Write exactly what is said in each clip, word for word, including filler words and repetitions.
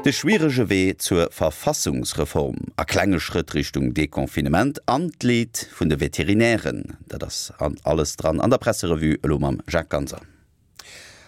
De schwierege Wee zur Verfassungsreform, a klenge Schrëtt Richtung Deconfinement an d'Leed vun de Veterinären, dat ass alles dran an der Presserevue elo mam Jacques Ganser.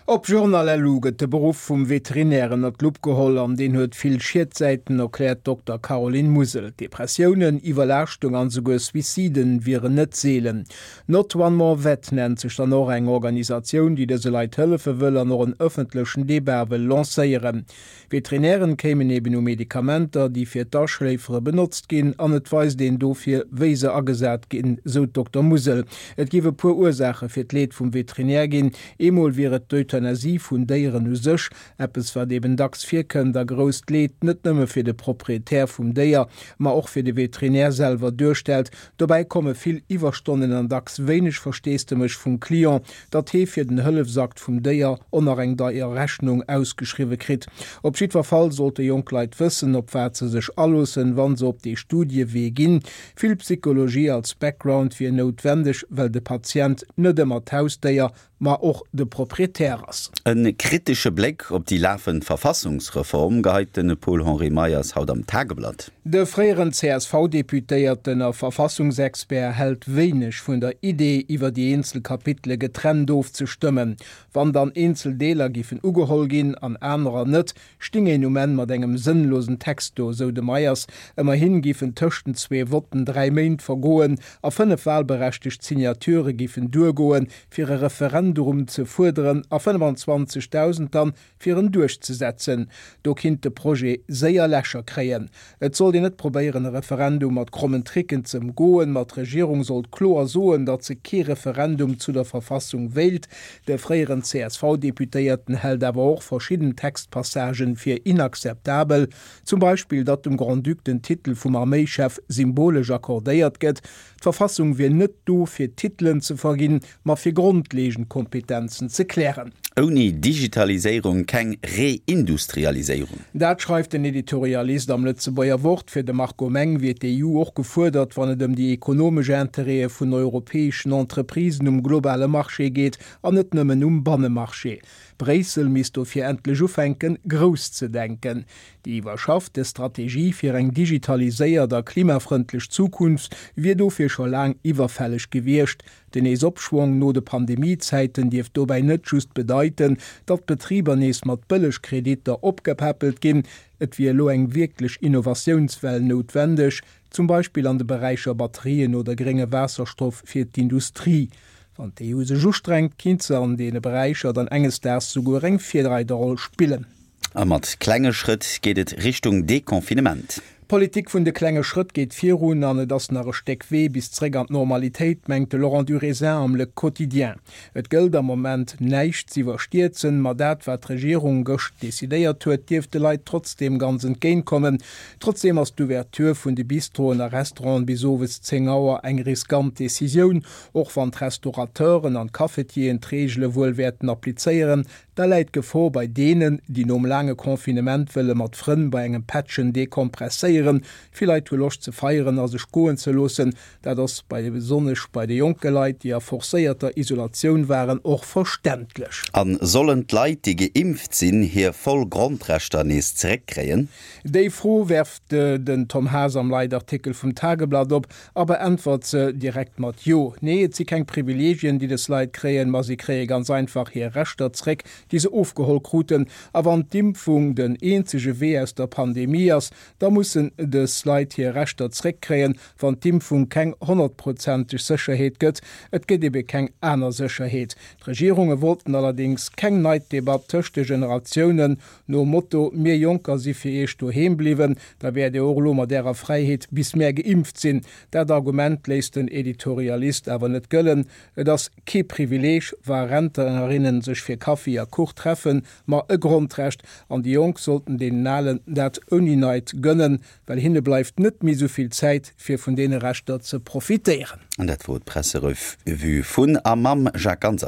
Op Journal.lu gëtt de Beruff vum Veterinär ënnert d'Lupp geholl an deen huet vill Schietsäiten, erkläert d'Dokter Caroline Musel. Depressiounen, Iwwerlaaschtung an esouguer Suiciden wieren net seelen. Not One More Vet nennt sech dann och eng Organisatioun, déi dëse Leit hëllefe wëll an och en ëffentlechen Debat wëll lancéieren. Veterinären kéimen eben u Medikamenter, déi fir d'Aschléifere benotzt ginn, an et weist een dofir, wéi se agesat ginn, sou d'Dokter Musel. Et géif e puer Ursaache fir d'Leed vum Veterinär ginn. Eemol wier et d'Euthanasie vun Déieren u sech, eppes wat eben dacks virkënnt a grousst Leed net nëmme fir de Proprietär vum Déier, ma och fir de Veterinär selwer duerstellt. Dobäi komme vill Iwwerstonnen an dacks wéineg Versteesdemech vum Client, datt hee fir den Hëllefsakt vum Déier och nach eng deier Rechnung ausgeschriwwe kritt. Op jiddwer Fall sollte jonk Leit wëssen, op wat se sech aloossen, wa se op dee Studiewee ginn. Vill Psychologie als Background wier noutwendeg, well de Patient net ëmmer d'Hausdéier, ma och de Proprietär ass. E kritesche Bléck op déi lafend Verfassungsreform geheit de Paul-Henri Meyers haut am Tageblatt. De fréieren C S V-Deputéierten a Verfassungsexpert hält wéineg vun der Idee, iwwer déi eenzel Kapitele getrennt ofzestëmmen. Wann dann eenzel Deeler giffen ugeholl ginn an anerer net, sting een um Enn mat engem sënnlosen Text do, sou de Meyers. Ëmmerhi giffen tëscht den zwee Votten dräi Méint vergoen a fënnef walberechtegt Signature giffen duergoen, fir e Referendum ze fuerderen a fënnefanzwanzegdausend dann, fir en duerchzesetzen. Do kinnt de Projet séier Lächer kréien. Et sollt een net probéieren, e Referendum mat krommen Tricken ze ëmgoen, ma d'Regierung sollt kloer soen, datt se kee Referendum zu der Verfassung wéilt. De fréieren C S V-Deputéierten hält awer och verschidden Textpassagen fir inakzeptabel, zum Beispill datt dem Grand-Duc den Titel vum Arméischef symbolesch accordéiert gëtt. D'Verfassung wier net do fir Titelen ze verginn, ma fir grondleeënd Kompetenzen ze klären. Ouni Digitaliséierung keng Reindustrialiséierung. Dat schreift den Editorialist am Lëtzebuerger Wort. Fir de Marco Meng wier d'E U och gefuerdert, wann et ëm déi ekonomesch Interêtë vun europäeschen Entreprisen um globale Marché geet an net nëmmen um Bannemarché. Bréissel misst dofir endlech ufänken, grouss ze denken. Déi iwwerschaffte Strategie fir eng digitaliséiert a klimafrëndlech Zukunft wier dofir scho laang iwwerfälleg gewiescht. Den Neesopschwong no de Pandemiezäiten dierft dobäi net just bedeiten, datt d'Betriber nees mat Bëllegkreditter opgepäppelt ginn. Et wier elo eng wierklech Innovatiounswell noutwendeg, zum Beispill an de Beräicher Batterien oder grénge Waasserstoff fir d'Industrie. Wann d'E U sech ustrengt, kinnt se an deene Beräicher dann enges Daags souguer eng Virreiderroll spillen. A mat klenge Schrëtt geet et Richtung Deconfinement. D'Politik vun de klenge Schrëtt geet virun an et ass nach e Stéck Wee bis zréck an d'Normalitéit, mengt de Laurent Durézin am Le Quotidien. Et gëllt am Moment näischt z'iwwerstierzen, ma dat wat d'Regierung gëscht decidéiert huet, dierft de Leit trotzdeem ganz entgéint kommen. Trotzdeem ass d'Ouverture vun de Bistroen a Restauranten bis owes zéng Auer eng riskant Decisioun, och wann d'Restaurateuren an d'Cafetieren d'Reegele wuel wäerten applizéieren. Da läit d'Gefor bei deenen, déi nom laange Confinement wëlle mat Frënn bei engem Pättchen dekompresséieren. Vill Leit hu Loscht ze feieren a sech goen ze loossen. Dat ass bei besonnesch bei de jonke Leit, déi a forcéierter Isolatioun waren, och verständlech. A sollen d'Leit, déi geimpft sinn, hir voll Grondrechter nees zeréckkréien? Déi Fro werft den Tom Haas am Leitartikel vum Tageblatt op a beäntwert se direkt mat Jo. Nee, et si keng Privileegien, déi des Leit kréien, ma si kréie ganz einfach hir Rechter zréck, déi se ofgeholl kruten. A wann d'Impfung den eenzege Wee aus der Pandemie ass, da mussen des Leit hir Rechter zréckkréien, wann d'Impfung keng honnertprozenteg Sécherheet gëtt. Et gëtt ebe keng aner Sécherheet. D'Regierunge wollten allerdéngs keng Neiddebatt tëscht de Generatiounen, nom Motto, Mir Jonker si fir iech doheem bliwwen, da wäert dir och elo mat ärer Fräiheet bis mär geimpft sinn. Dat Argument léisst den Editorialist awer net gëllen. Et ass kee Privileeg, wa Rentnerinnen sech fir Kaffi a Kuch treffen, ma e Grondrecht, an déi Jonk sollten deenen Alen dat ouni Neid gënnen, well hinne bleift net méi sou vill Zäit, fir vun deene Rechter ze profitéieren. An dat wor d'Presserevue vun a mam Jacques Ganser.